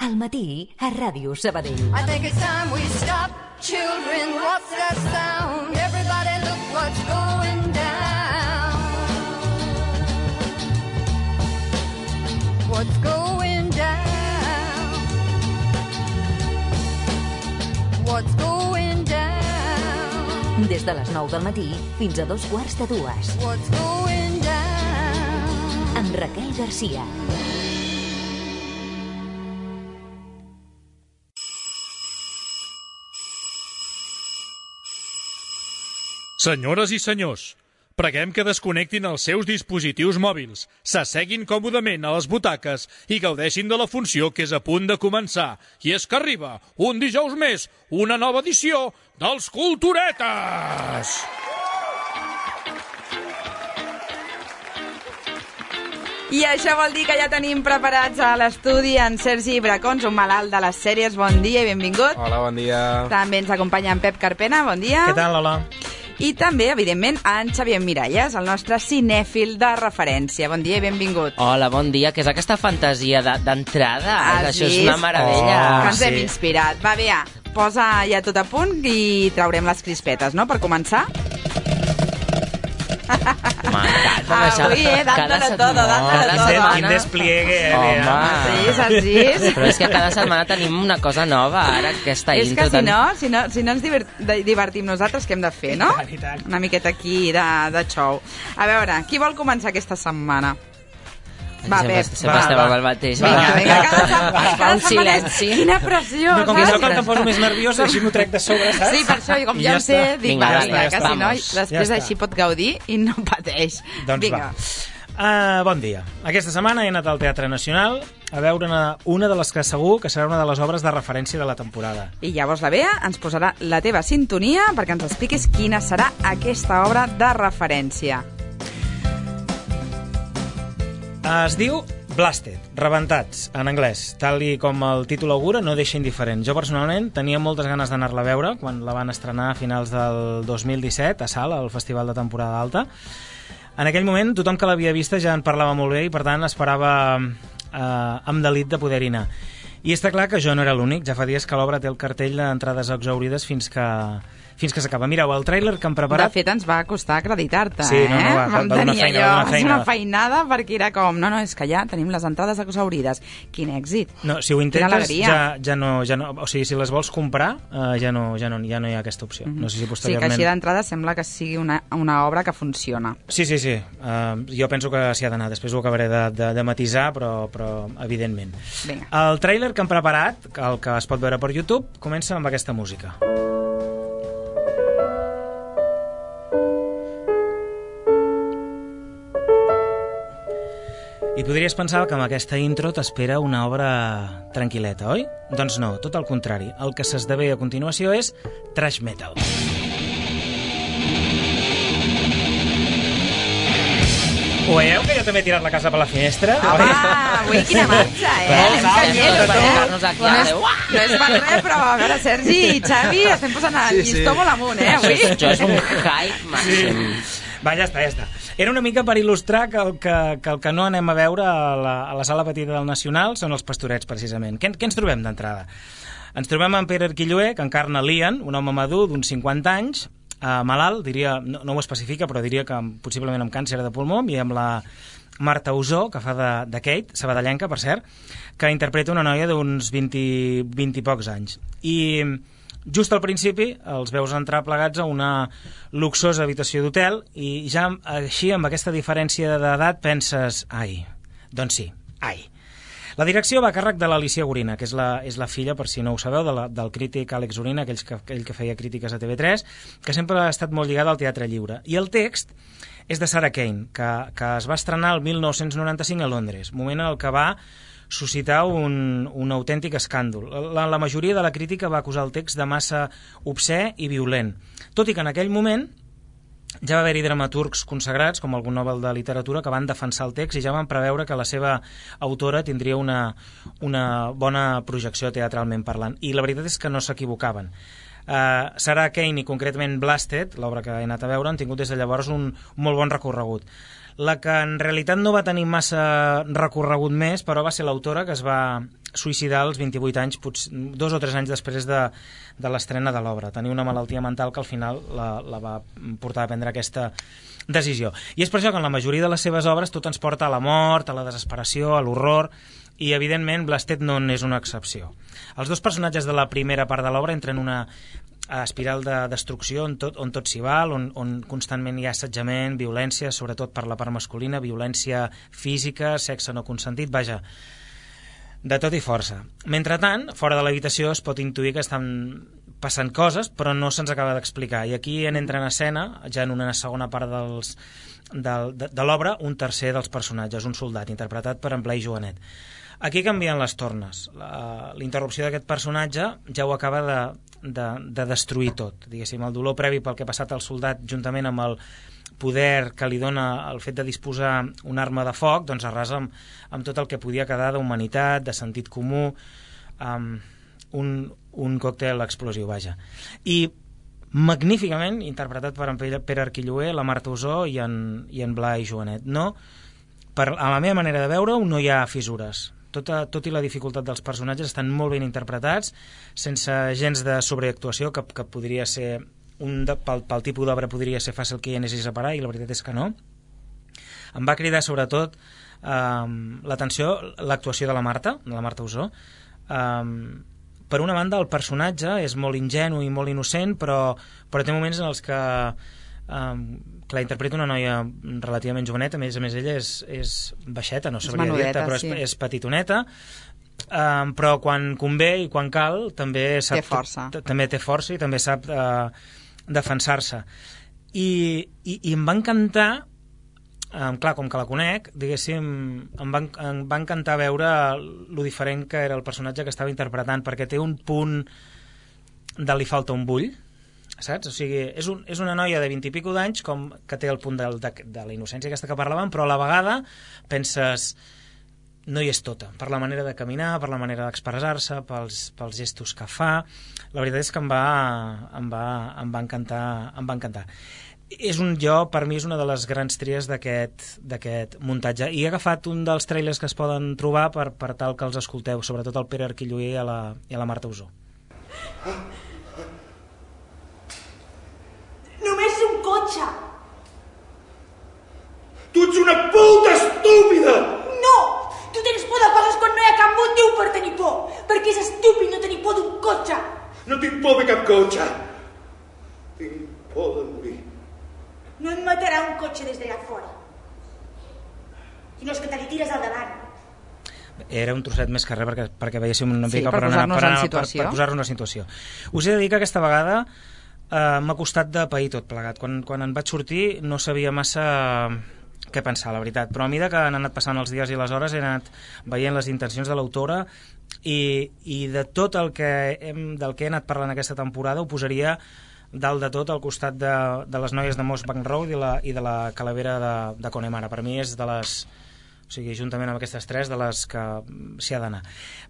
Al matí, a Ràdio Sabadell. I think it's time we stop. Children, what's that sound? Everybody look what's going down. What's going down? What's going down? Des de les 9 del matí fins a 2:15. What's going down? Amb Raquel Garcia. Senyores i senyors, preguem que desconnectin els seus dispositius mòbils, s'asseguin còmodament a les butaques i gaudeixin de la funció que és a punt de començar. I és que arriba, un dijous més, una nova edició dels Culturetes! I això vol dir que ja tenim preparats a l'estudi en Sergi Bracons, un malalt de les sèries. Bon dia i benvingut. Hola, bon dia. També ens acompanya en Pep Carpena, bon dia. Què tal, Lola? I també, evidentment, en Xavier Miralles, el nostre cinèfil de referència. Bon dia i benvingut. Hola, bon dia. Què és aquesta fantasia d'entrada? Això és una meravella. Que ens hem inspirat. Va, bé, posa ja tot a punt i traurem les crispetes, no?, per començar. M'encanta. Avui, dándolo todo, dándolo todo. Quin despliegue, Home. Sí, saps? Però és que cada setmana tenim una cosa nova, ara, aquesta És intro. que si no ens divertim nosaltres, què hem de fer, no? I tant. Una miqueta aquí de xou. A veure, qui vol començar aquesta setmana? Va, Pep. Sempre estem amb el mateix. Vinga, cada un silenci. Quina pressió, No, com que saps? sóc el que em poso més nerviós, així m'ho trec de sobre, saps? Sí, per això, i com I ja ja ho sé, està. dic, Vinga, va, ja vinga, està, que si no, vamos. després Ja així pot gaudir i no pateix. Doncs Vinga. va. Bon dia. Aquesta setmana he anat al Teatre Nacional a veure una de les que segur que serà una de les obres de referència de la temporada. I llavors la Bea ens posarà la teva sintonia perquè ens expliquis quina serà aquesta obra de referència. Es diu Blasted, rebentats, en anglès. Tal i com el títol augura, no deixa indiferent. Jo personalment tenia moltes ganes d'anar-la a veure quan la van estrenar a finals del 2017 a Salt, al Festival de Temporada Alta. En aquell moment tothom que l'havia vista ja en parlava molt bé i per tant esperava amb delit de poder-hi anar. I està clar que jo no era l'únic, ja fa dies que l'obra té el cartell d'entrades exhaurides fins que s'acaba. Mireu, el tràiler que han preparat... De fet, ens va costar acreditar-te, Sí, no, va Vam donar tenir feina, allò, va donar feina. una feinada perquè era com... No, és que ja tenim les entrades exhaurides. Quin èxit. No, si ho Quina intentes, alegria. ja no... O sigui, si les vols comprar, ja no hi ha aquesta opció. No sé si Sí, que posteriorment... així d'entrada sembla que sigui una obra que funciona. Sí. Jo penso que s'hi ha d'anar. Després ho acabaré de matisar, però evidentment. Vinga. El tràiler que han preparat, el que es pot veure per YouTube, comença amb aquesta música. I podries pensar que amb aquesta intro t'espera una obra tranquil·leta, oi? Doncs no, tot el contrari. El que s'esdevé a continuació és thrash metal. Ho veieu que jo també he tirat la casa per la finestra? Home, avui quina marxa, Anem canyeros, Nos aquí, No és per res, però a veure, Sergi i Xavi estem posant el llistó molt amunt, avui. Això és un hype màxim. Va, ja està. Era una mica per il·lustrar que el que no anem a veure a la sala petita del Nacional són els Pastorets, precisament. Què ens trobem d'entrada? Ens trobem amb Pere Arquilloé, que encarna Lian, un home madur d'uns 50 anys, malalt, diria, no ho especifica, però diria que possiblement amb càncer de pulmó, i amb la Marta Usó, que fa de Kate, sabadellenca, per cert, que interpreta una noia d'uns 20 i pocs anys. I just al principi els veus entrar plegats a una luxosa habitació d'hotel i ja així, amb aquesta diferència d'edat, penses, ai, doncs sí, ai. La direcció va a càrrec de l'Alicia Gorina, que és la filla, per si no ho sabeu, del crític Àlex Gorina, aquell que feia crítiques a TV3, que sempre ha estat molt lligada al teatre lliure. I el text és de Sarah Kane, que es va estrenar el 1995 a Londres, moment en el que va suscitar un autèntic escàndol. La majoria de la crítica va acusar el text de massa obscè i violent, tot i que en aquell moment ja va haver-hi dramaturgs consagrats, com algun Nobel de Literatura, que van defensar el text i ja van preveure que la seva autora tindria una bona projecció teatralment parlant. I la veritat és que no s'equivocaven. Sarah Kane i concretament Blasted, l'obra que he anat a veure, han tingut des de llavors un molt bon recorregut. La que en realitat no va tenir massa recorregut més, però va ser l'autora, que es va suïcidar als 28 anys, 2 o 3 anys després de l'estrena de l'obra. Tenia una malaltia mental que al final la va portar a prendre aquesta decisió. I és per això que en la majoria de les seves obres tot ens porta a la mort, a la desesperació, a l'horror, i evidentment Blasted no n'és una excepció. Els dos personatges de la primera part de l'obra entren en una espiral de destrucció on tot s'hi val, on constantment hi ha assetjament, violència, sobretot per la part masculina, violència física, sexe no consentit, vaja, de tot i força. Mentretant, fora de l'habitació es pot intuir que estan passant coses, però no se'ns acaba d'explicar. I aquí entra en escena, ja en una segona part de l'obra, un tercer dels personatges, un soldat, interpretat per en Blai Joanet. Aquí canvien les tornes. La interrupció d'aquest personatge ja ho acaba de destruir tot. Diguéssim, el dolor previ pel que ha passat al soldat, juntament amb el poder que li dona el fet de disposar una arma de foc, doncs arrasa amb tot el que podia quedar d'humanitat, de sentit comú, un còctel explosiu, vaja. I magníficament interpretat per en Pere Arquilloé, la Marta Usó i en Blai Joanet. No, a la meva manera de veure-ho no hi ha fissures. Tot i la dificultat dels personatges estan molt ben interpretats, sense gens de sobreactuació, que podria ser pel tipus d'obra podria ser fàcil que hi anessis a parar, i la veritat és que no. Em va cridar sobretot l'atenció l'actuació de la Marta Usó. Per una banda, el personatge és molt ingenu i molt innocent, però té moments en els que la interpreta una noia relativament joveneta, a més ella és baixeta, no sabria dir-te, però és petitoneta, però quan convé i quan cal també té força i també sap defensar-se. I em va encantar, clar, com que la conec, diguéssim, em va encantar veure lo diferent que era el personatge que estava interpretant, perquè té un punt de li falta un bull, saps? O sigui, és una noia de 20 i pico d'anys que té el punt de la innocència aquesta que parlàvem, però a la vegada penses, no hi és tota, per la manera de caminar, per la manera d'expressar-se, pels gestos que fa. La veritat és que em va encantar. Per mi és una de les grans tries d'aquest muntatge, i he agafat un dels trailers que es poden trobar per tal que els escolteu, sobretot el Pere Arquilloé i la Marta Usó. Només un cotxe! Tu ets una puta estúpida! No! Tu tens por de coses quan no hi ha cap motiu per tenir por, perquè és estúpid no tenir por d'un cotxe. No tinc por de cap cotxe. Tinc por de morir. No et matarà un cotxe des d'allà fora. Sinó és que te li tires al davant. Era un trosset més que res perquè veiéssim una mica per posar-nos en situació. Per posar-nos en situació. Us he de dir que aquesta vegada m'ha costat de pair tot plegat. Quan en vaig sortir no sabia massa què pensar, la veritat, però a mesura que han anat passant els dies i les hores he anat veient les intencions de l'autora i de tot del que he anat parlant aquesta temporada ho posaria dalt de tot al costat de les noies de Moss Bank Road i de la Calavera de Connemara. Per mi és de les, o sigui, juntament amb aquestes tres, de les que s'hi ha d'anar.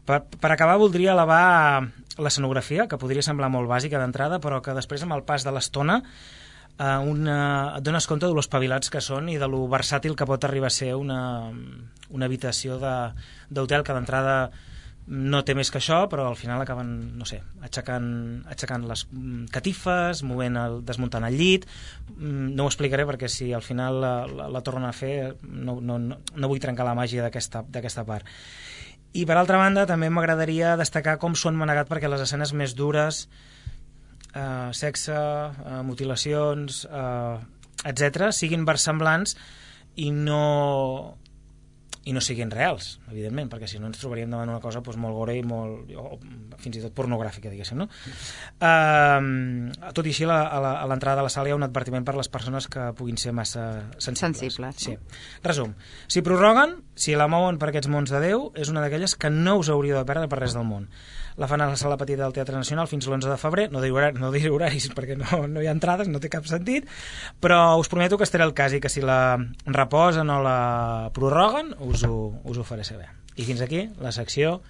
Per acabar voldria elevar l'escenografia, que podria semblar molt bàsica d'entrada, però que després amb el pas de l'estona et dones compte de lo espavilats que són i de lo versàtil que pot arribar a ser una habitació d'hotel que d'entrada no té més que això, però al final acaben, no sé, aixecant les catifes, desmuntant el llit. No ho explicaré perquè si al final la tornen a fer no vull trencar la màgia d'aquesta part. I per altra banda també m'agradaria destacar com s'ho han manegat perquè les escenes més dures, sexe, mutilacions, etc., siguin versemblants i no siguin reals, evidentment, perquè si no ens trobaríem davant una cosa molt gore i o fins i tot pornogràfica, diguéssim, no? Tot i així, a l'entrada de la sala hi ha un advertiment per les persones que puguin ser massa sensibles. Sí. Resum, si prorroguen, si la mouen per aquests mons de Déu, és una d'aquelles que no us hauríeu de perdre per res del món. La fan a la sala petita del Teatre Nacional fins l'11 de febrer, no diré horaris perquè no hi ha entrades, no té cap sentit, però us prometo que estaré al cas i que si la reposen o la prorroguen us ho faré saber. I fins aquí la secció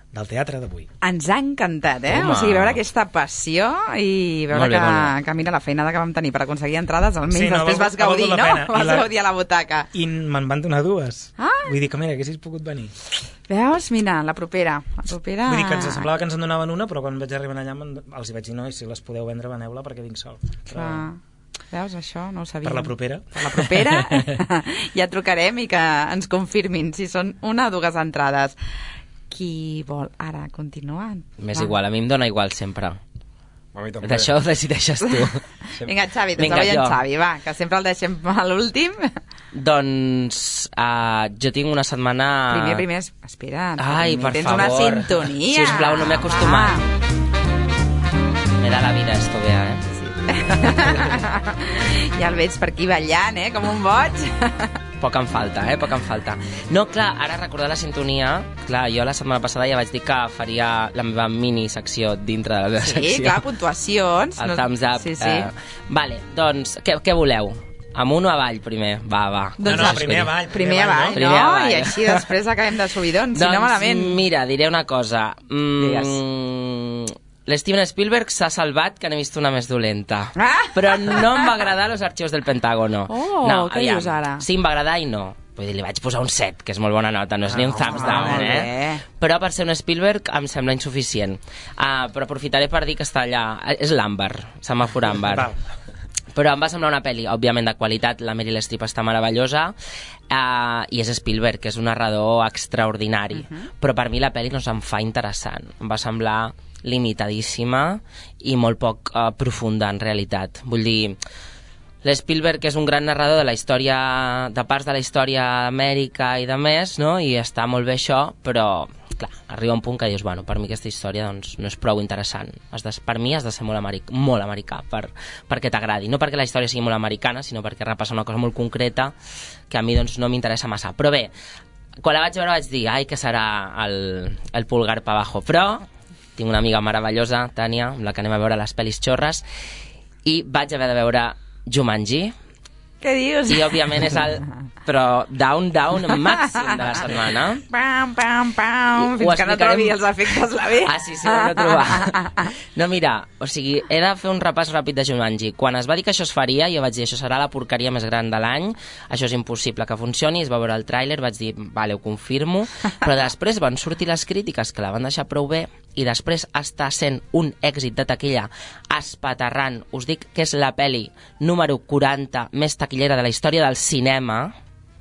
del teatre d'avui. Ens ha encantat, Home. O sigui, veure aquesta passió i veure Molt bé, molt que mira la feinada que vam tenir per aconseguir entrades, almenys Sí, no, després ha vas gaudir, valgut la no? pena. Vas gaudir a la butaca. I me'n van donar 2. Ah. Vull dir que, mira, haguessis pogut venir. Veus? Mira, la propera. Vull dir que ens semblava que ens en donaven una, però quan vaig arribar allà els hi vaig dir, no, i si les podeu vendre, veneu-la perquè vinc sol. Però... Veus, això no ho sabíem. Per la propera. Per la propera ja trucarem i que ens confirmin si són 1 o 2 entrades. Qui vol ara continuar? M'és igual, a mi em dóna igual sempre. A mi també. D'això ho decideixes tu. Vinga, Xavi, Vinga, doncs avui en jo. Xavi, va, que sempre el deixem a l'últim. Doncs jo tinc una setmana... Primer, espera. Ai, per tens favor. una sintonia. Sisplau, no m'he acostumat. Me da la vida esto, Bea, Ja el veig per aquí ballant, com un boig. Poc em falta, poc em falta. No, clar, ara recordar la sintonia, clar, jo la setmana passada ja vaig dir que faria la meva mini-secció dintre de la meva secció. Sí, clar, puntuacions. El thumbs up. Sí, sí. Vale, doncs, què voleu? Amunt o avall, primer? Va. Doncs primer avall. Primer avall, Primer no? avall. I així després acabem de subidons, si no Doncs malament. mira, diré una cosa. L'Steven Spielberg s'ha salvat que n'he vist una més dolenta. Però no em va agradar Los archivos del Pentágono. Què dius ara? Sí, em va agradar i no. Vull dir, li vaig posar un 7, que és molt bona nota, no és ni un thumbs down, Però per ser un Spielberg em sembla insuficient. Però aprofitaré per dir que està allà... És l'àmbar, semàfor àmbar. Però em va semblar una pel·li, òbviament, de qualitat. La Meryl Streep està meravellosa. I és Spielberg, que és un narrador extraordinari. Però per mi la pel·li no se'm fa interessant. Em va semblar limitadíssima i molt poc profunda, en realitat. Vull dir, l'Spielberg és un gran narrador de la història, de parts de la història d'Amèrica i de més, no? I està molt bé això, però clar, arriba un punt que dius, bueno, per mi aquesta història doncs, no és prou interessant. Per mi has de ser molt americà perquè t'agradi. No perquè la història sigui molt americana, sinó perquè repassa una cosa molt concreta que a mi doncs, no m'interessa massa. Però bé, quan la vaig veure vaig dir, ai, que serà el pulgar pa abajo. Però tinc una amiga meravellosa, Tània, amb la que anem a veure les pel·lis xorres, i vaig haver de veure Jumanji. Què dius? I òbviament és el... Però down màxim de la setmana. Pam, fins que no trobi els efectes la bé. Sí, ho hem de trobar. No, mira, o sigui, he de fer un repàs ràpid de Jumanji. Quan es va dir que això es faria, jo vaig dir, això serà la porqueria més gran de l'any, això és impossible que funcioni, es va veure el tràiler, vaig dir, vale, ho confirmo, però després van sortir les crítiques que la van deixar prou bé, i després està sent un èxit de taquilla espaterrant. Us dic que és la pel·li número 40 més taquillera de la història del cinema,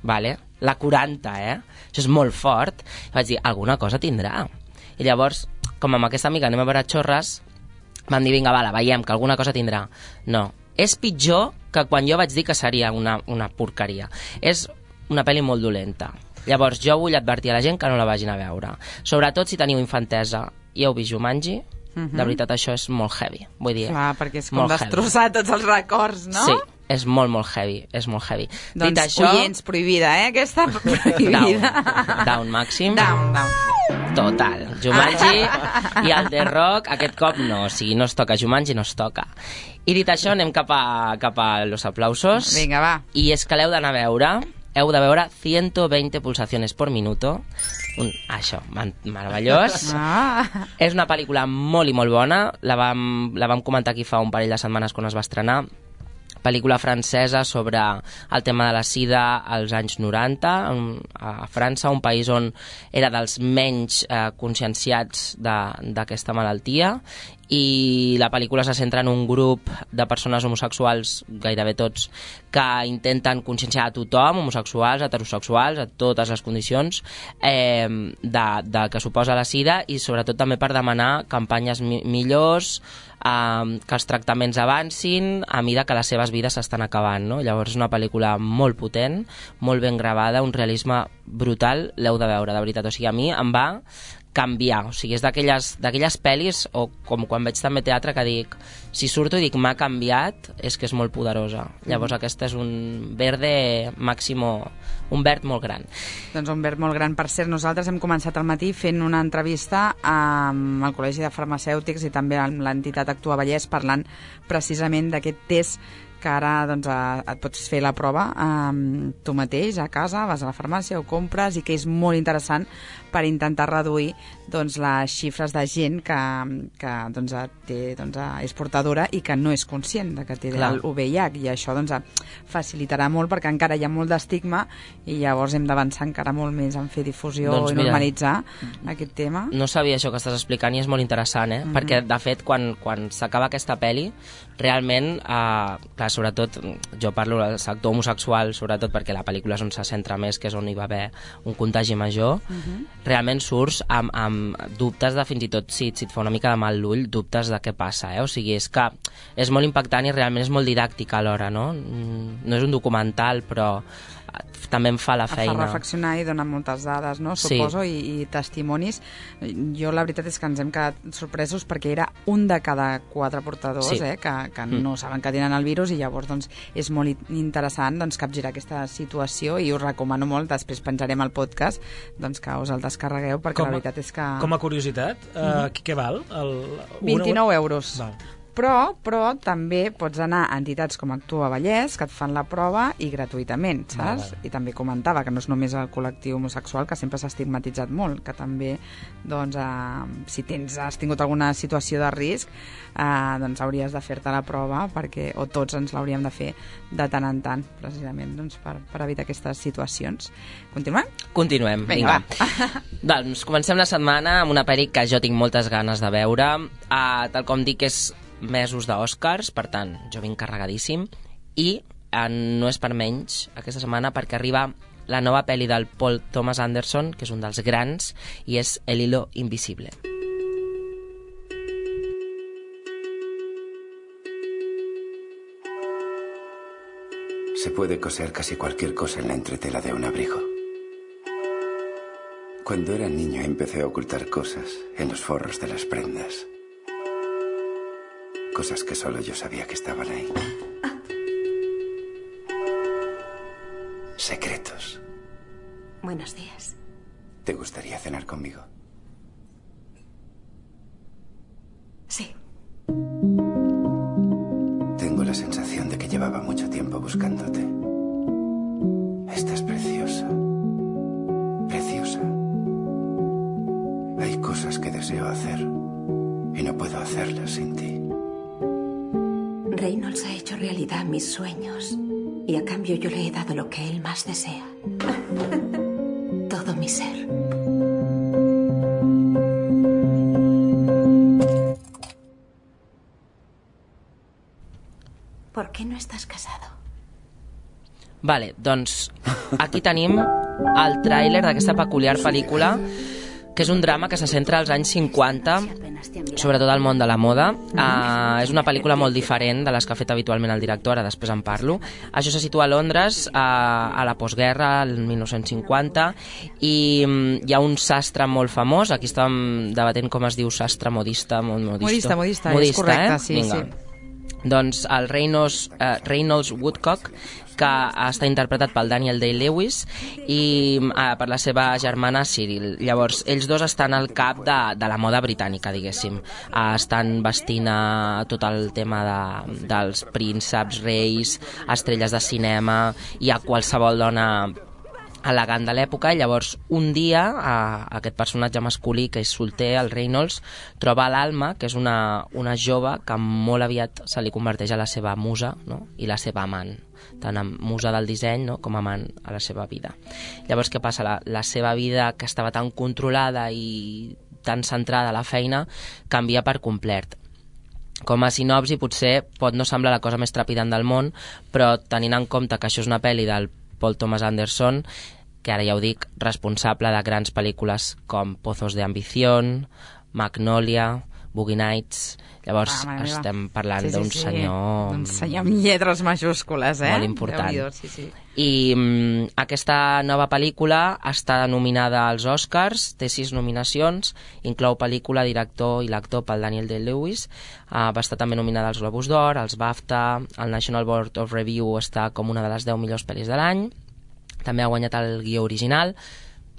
vale? La 40, Això és molt fort. I vaig dir, alguna cosa tindrà. I llavors, com amb aquesta amiga anem a veure xorres, vam dir, vinga, la veiem, que alguna cosa tindrà. No, és pitjor que quan jo vaig dir que seria una porqueria. És una pel·li molt dolenta. Llavors, jo vull advertir a la gent que no la vagin a veure. Sobretot si teniu infantesa i heu vist Jumanji, de veritat això és molt heavy. Vull dir, clar, perquè és com destrossar tots els records, no? Sí, és molt heavy, és molt heavy. Doncs dit això, oients, prohibida, Aquesta prohibida. Down màxim. Down. Total. Jumanji i el The Rock, aquest cop no, o sigui, no es toca. Jumanji no es toca. I dit això, anem cap a los aplausos. Vinga, va. I és que l'heu d'anar a veure. Heu de veure 120 pulsaciones por minuto. Això, meravellós. És una pel·lícula molt i molt bona. La vam comentar aquí fa un parell de setmanes quan es va estrenar. Pel·lícula francesa sobre el tema de la sida als anys 90 a França, un país on era dels menys conscienciats d'aquesta malaltia, i la pel·lícula se centra en un grup de persones homosexuals, gairebé tots, que intenten conscienciar a tothom, homosexuals, heterosexuals, a totes les condicions de que suposa la sida, i sobretot també per demanar campanyes millors, que els tractaments avancin a mida que les seves vides s'estan acabant, no? Llavors és una pel·lícula molt potent, molt ben gravada, un realisme brutal, l'heu de veure, de veritat. O sigui, a mi em va canviar, o sigui, és d'aquelles pel·lis, o com quan veig també teatre, que dic, si surto i dic m'ha canviat, és que és molt poderosa. Llavors aquesta és un verde màximo, un verd molt gran. Doncs un verd molt gran. Per cert, nosaltres hem començat al matí fent una entrevista amb el Col·legi de Farmacèutics i també amb l'entitat Actua Vallès, parlant precisament d'aquest test que ara doncs, et pots fer la prova tu mateix a casa, vas a la farmàcia, ho compres, i que és molt interessant per intentar reduir doncs, les xifres de gent que doncs, és portadora i que no és conscient de que té el VIH, i això doncs, facilitarà molt, perquè encara hi ha molt d'estigma i llavors hem d'avançar encara molt més en fer difusió i normalitzar aquest tema. No sabia això que estàs explicant i és molt interessant, perquè de fet quan s'acaba aquesta pel·li realment, clar, sobretot jo parlo del sector homosexual, sobretot perquè la pel·lícula és on se centra més, que és on hi va haver un contagi major, realment surts amb dubtes de fins i tot si et fa una mica de mal l'ull, dubtes de què passa, o sigui, és que és molt impactant i realment és molt didàctic alhora, no? No és un documental, però també em fa la feina. Fa reflexionar i dona moltes dades, no? Suposo, i testimonis. Jo la veritat és que ens hem quedat sorpresos perquè era un de cada 4 portadors que no saben que tenen el virus, i llavors doncs, és molt interessant doncs, capgirar aquesta situació, i us recomano molt, després penjarem el podcast, doncs, que us el descarregueu, perquè la veritat és que... Com a curiositat, què val? 29 euros. Val. Però també pots anar a entitats com Actua Vallès, que et fan la prova i gratuïtament, saps? I també comentava que no és només el col·lectiu homosexual, que sempre s'ha estigmatitzat molt, que també, doncs, si has tingut alguna situació de risc, doncs hauries de fer-te la prova, perquè, o tots ens l'hauríem de fer de tant en tant, precisament, doncs, per evitar aquestes situacions. Continuem? Continuem, vinga. Doncs comencem la setmana amb una pel·li que jo tinc moltes ganes de veure. Tal com dic, és mesos d'Oscars, per tant, jo vinc carregadíssim, i no és per menys aquesta setmana, perquè arriba la nova pel·li del Paul Thomas Anderson, que és un dels grans, i és El hilo invisible. Se puede coser casi cualquier cosa en la entretela de un abrigo. Cuando era niño empecé a ocultar cosas en los forros de las prendas. Cosas que solo yo sabía que estaban ahí. Secretos. Buenos días. ¿Te gustaría cenar conmigo? Sí. Tengo la sensación de que llevaba mucho tiempo buscándote. Estás preciosa. Preciosa. Hay cosas que deseo hacer y no puedo hacerlas sin ti. Reynolds ha hecho realidad mis sueños y a cambio yo le he dado lo que él más desea. Todo mi ser. ¿Por qué no estás casado? Vale, doncs aquí tenim el tràiler d'aquesta peculiar pel·lícula, que és un drama que se centra als anys 50, sobretot al món de la moda. És una pel·lícula molt diferent de les que ha fet habitualment el director, ara després en parlo. Això se situa a Londres, a la postguerra, el 1950, i hi ha un sastre molt famós, aquí estàvem debatent com es diu sastre, modista, modista, és correcte, sí. Doncs el Reynolds Woodcock, que està interpretat pel Daniel Day-Lewis, i per la seva germana Cyril. Llavors, ells dos estan al cap de la moda britànica, diguéssim. Estan vestint tot el tema dels prínceps, reis, estrelles de cinema, i a qualsevol dona elegant de l'època. I llavors un dia aquest personatge masculí, que és solter, el Reynolds, troba l'Alma, que és una jove que molt aviat se li converteix a la seva musa, no? I la seva amant, tant musa del disseny, no? Com amant a la seva vida. Llavors què passa? La seva vida, que estava tan controlada i tan centrada a la feina, canvia per complet. Com a sinopsi potser pot no semblar la cosa més trepidant del món, però tenint en compte que això és una pel·li del Paul Thomas Anderson, que ara ja ho dic, responsable de grans pel·lícules com Pozos de Ambición, Magnolia, Boogie Nights. Llavors estem parlant d'un senyor... Un senyor amb lletres majúscules, molt important. Sí. I aquesta nova pel·lícula està nominada als Oscars, té 6 nominacions, inclou pel·lícula, director i l'actor pel Daniel Day-Lewis. Va estar també nominada als Globus d'Or, als BAFTA, el National Board of Review està com una de les 10 millors pel·lis de l'any. També ha guanyat el guió original.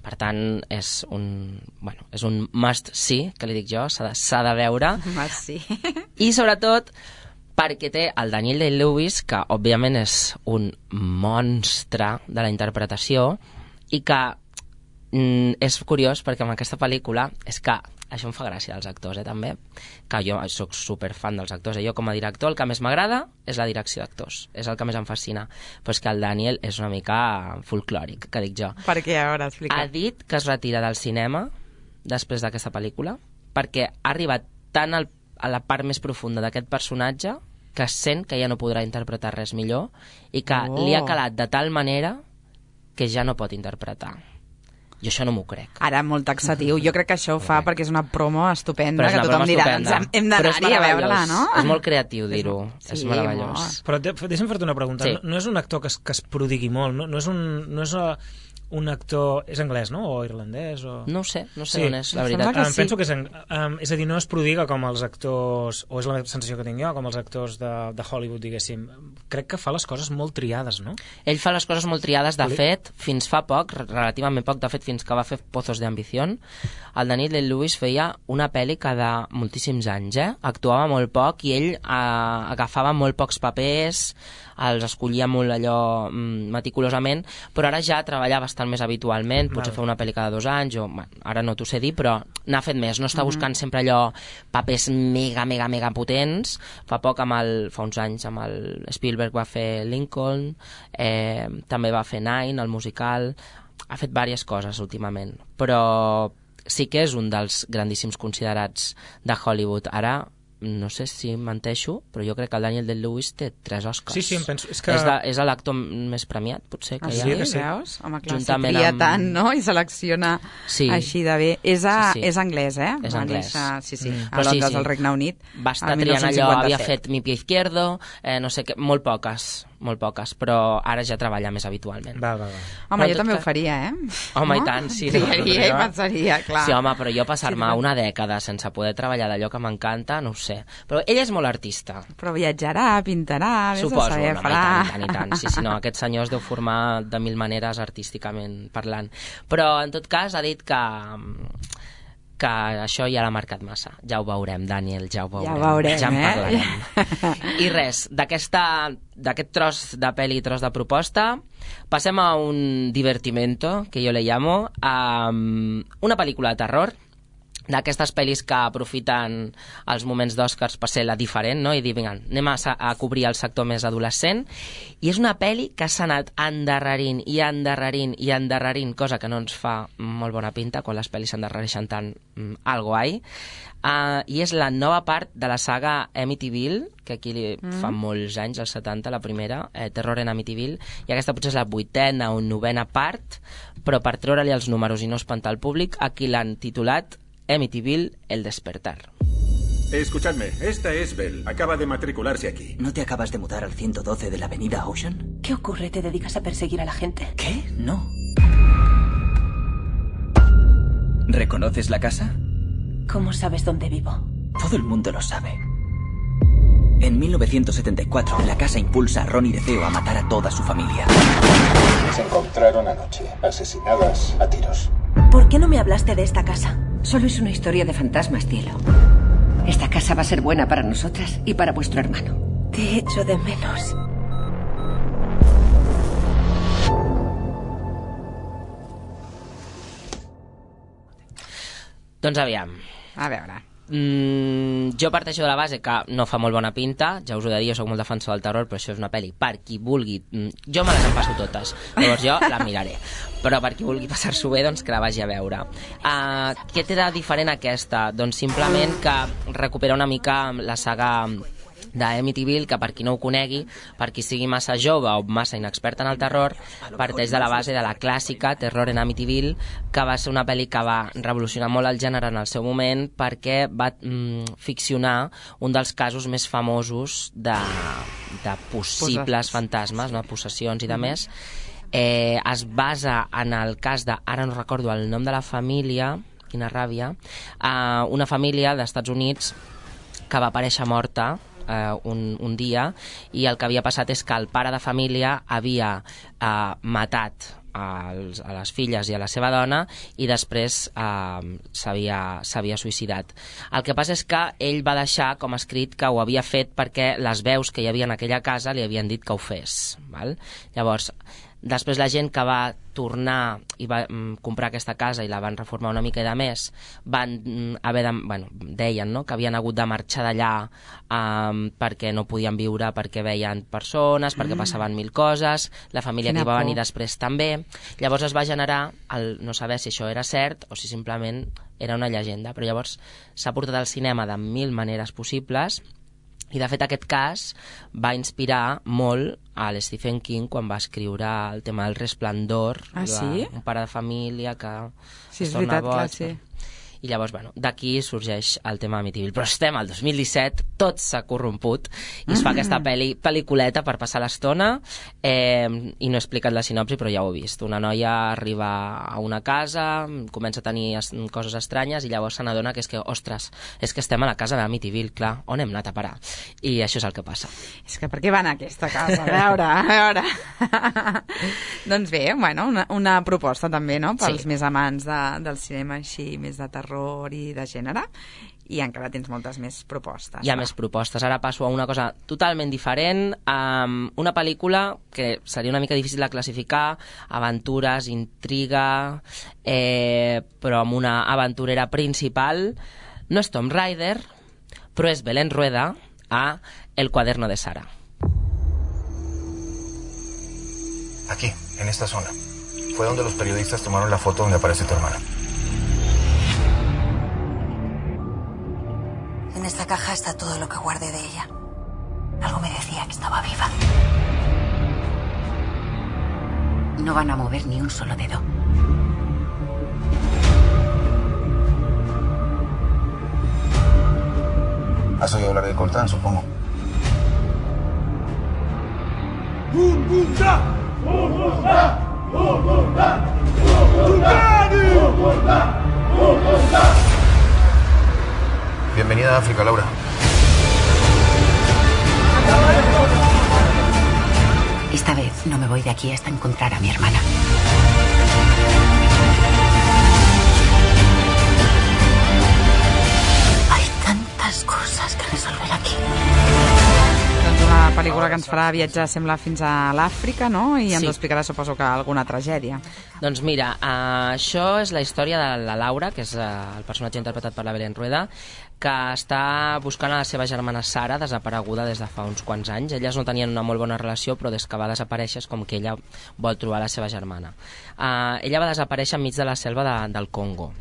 Per tant, és un must see, que li dic jo, s'ha de veure. Must see. I sobretot perquè té el Daniel Day-Lewis, que òbviament és un monstre de la interpretació, i que és curiós perquè amb aquesta pel·lícula és que això em fa gràcia dels actors, també, que jo soc superfan dels actors, jo com a director el que més m'agrada és la direcció d'actors, és el que més em fascina, però és que el Daniel és una mica folclòric, que dic jo. Per què? A veure, explica. Ha dit que es retira del cinema després d'aquesta pel·lícula perquè ha arribat tant a la part més profunda d'aquest personatge que sent que ja no podrà interpretar res millor i que li ha calat de tal manera que ja no pot interpretar. Jo això no m'ho crec. Ara, molt taxatiu. Jo crec que això ho fa perquè és una promo estupenda, que tothom dirà, hem d'anar-hi a veure-la, no? És molt creatiu dir-ho. És meravellós. Però deixa'm fer-te una pregunta. Sí. No és un actor que es prodigui molt, no és un actor... És anglès, no? O irlandès? O... No ho sé sí. On és, la veritat. Penso que és a dir, no es prodiga com els actors, o és la sensació que tinc jo, com els actors de Hollywood, diguéssim. Crec que fa les coses molt triades, no? Ell fa les coses molt triades, de fet, fins fa poc, relativament poc, de fet, fins que va fer Pozos de Ambición, el Daniel Day-Lewis feia una pel·li cada moltíssims anys, actuava molt poc i ell agafava molt pocs papers, els escollia molt allò meticulosament, però ara ja treballa bastant més habitualment, potser fa una pel·li cada 2 anys, o ara no t'ho sé dir, però n'ha fet més, no està buscant sempre allò papers mega potents. Fa uns anys amb el Spielberg va fer Lincoln, també va fer Nine, el musical, ha fet diverses coses últimament, però sí que és un dels grandíssims considerats de Hollywood. Ara no sé si menteixo, però jo crec que el Daniel Day-Lewis té 3 Oscars. Sí, em penso... És l'actor més premiat, potser, que hi ha. Sí, veus? Home, clar, se tria tant, no? I selecciona així de bé. És anglès, És anglès. Sí, a Londres, al Regne Unit. Va estar triant allò, havia fet Mi pie izquierdo, no sé què, molt poques, però ara ja treballa més habitualment. Home, jo també ho faria, Home, i tant, sí. Triaria i pensaria, clar. Sí, home, però jo passar-me una dècada sense poder treballar d'allò que m'encanta, no ho sé. Però ell és molt artista. Però viatjarà, pintarà, suposo, i tant. Sí, no, aquest senyor es deu formar de 1000 maneres artísticament parlant. Però, en tot cas, ha dit que això ja l'ha marcat massa. Ja ho veurem, Daniel, ja ho veurem. Ja en parlarem. I res, d'aquest tros de pel·li, tros de proposta, passem a un divertimento, que jo le llamo, una pel·lícula de terror, d'aquestes pel·lis que aprofiten els moments d'Oscars per ser la diferent, no? I dir, vinga, anem a cobrir el sector més adolescent, i és una pel·li que s'ha anat endarrerint, cosa que no ens fa molt bona pinta quan les pel·lis s'endarrereixen tant, algo hay, i és la nova part de la saga Amityville, que aquí fa molts anys, als 70, la primera, Terror en Amityville, i aquesta potser és la 8ª o 9ª part, però per treure-li els números i no espantar el públic, aquí l'han titulat Amityville, el despertar. Escuchadme, esta es Belle. Acaba de matricularse aquí. ¿No te acabas de mudar al 112 de la avenida Ocean? ¿Qué ocurre? ¿Te dedicas a perseguir a la gente? ¿Qué? No. ¿Reconoces la casa? ¿Cómo sabes dónde vivo? Todo el mundo lo sabe. En 1974, la casa impulsa a Ronnie DeFeo a matar a toda su familia. Se encontraron anoche, asesinadas a tiros. ¿Por qué no me hablaste de esta casa? Solo es una historia de fantasmas, cielo. Esta casa va a ser buena para nosotras y para vuestro hermano. Te echo de menos. Doncs aviam. A veure. Jo parteixo de la base que no fa molt bona pinta, ja us ho he de dir, jo soc molt defensor del terror, però això és una pel·li per qui vulgui, jo me les empasso totes, llavors jo la miraré, però per qui vulgui passar-s'ho bé, doncs que la vagi a veure. Què té de diferent aquesta? Doncs simplement que recupera una mica la saga d'Amityville, que per qui no ho conegui, per qui sigui massa jove o massa inexpert en el terror, parteix de la base de la clàssica Terror en Amityville, que va ser una pel·li que va revolucionar molt el gènere en el seu moment perquè va ficcionar un dels casos més famosos de possibles fantasmes, no? Possessions i de més. Es basa en el cas de, ara no recordo el nom de la família, quina ràbia, una família d'Estats Units que va aparèixer morta un dia, i el que havia passat és que el pare de família havia matat a les filles i a la seva dona i després s'havia suïcidat. El que passa és que ell va deixar com escrit que ho havia fet perquè les veus que hi havia en aquella casa li havien dit que ho fes. Val? Llavors, després la gent que va tornar i va comprar aquesta casa i la van reformar una mica i de més, van haver de... deien, no?, que havien hagut de marxar d'allà perquè no podien viure, perquè veien persones, perquè passaven mil coses, la família que hi va venir després també. Llavors es va generar el no saber si això era cert o si simplement era una llegenda, però llavors s'ha portat al cinema de mil maneres possibles. I, de fet, aquest cas va inspirar molt a l'Stephen King quan va escriure el tema del Resplendor, un pare de família que es torna boig. Sí. I llavors, d'aquí sorgeix el tema Amityville. Però estem al 2017, tot s'ha corromput i es fa aquesta pel·lículeta per passar l'estona i no he explicat la sinopsi, però ja ho he vist. Una noia arriba a una casa, comença a tenir coses estranyes i llavors se n'adona que és que, ostres, és que estem a la casa d'Amityville, clar, on hem anat a parar? I això és el que passa. És que per què van a aquesta casa? A veure. Doncs bé, una proposta també, no?, pels més amants del cinema així, més de terror i de gènere, i encara tens moltes més propostes. Hi ha més propostes. Ara passo a una cosa totalment diferent, una pel·lícula que seria una mica difícil de classificar, aventures, intriga, però amb una aventurera principal. No és Tomb Raider, però és Belén Rueda a El cuaderno de Sara. Aquí, en esta zona. Fue donde los periodistas tomaron la foto donde aparece tu hermana. En esta caja está todo lo que guardé de ella. Algo me decía que estaba viva. No van a mover ni un solo dedo. ¿Has oído hablar de Coltrán, supongo? Bienvenida a África, Laura. Esta vez no me voy de aquí hasta encontrar a mi hermana. Hay tantas cosas que resolver aquí. Doncs una pel·lícula que ens farà viatjar, sembla, fins a l'Àfrica, no? I ens explicarà, suposo, que alguna tragèdia. Doncs mira, això és la història de la Laura, que és el personatge interpretat per la Belén Rueda, que està buscant a la seva germana Sara, desapareguda des de fa uns quants anys. Elles no tenien una molt bona relació, però des que va desaparèixer és com que ella vol trobar la seva germana. Ella va desaparèixer enmig de la selva del Congo.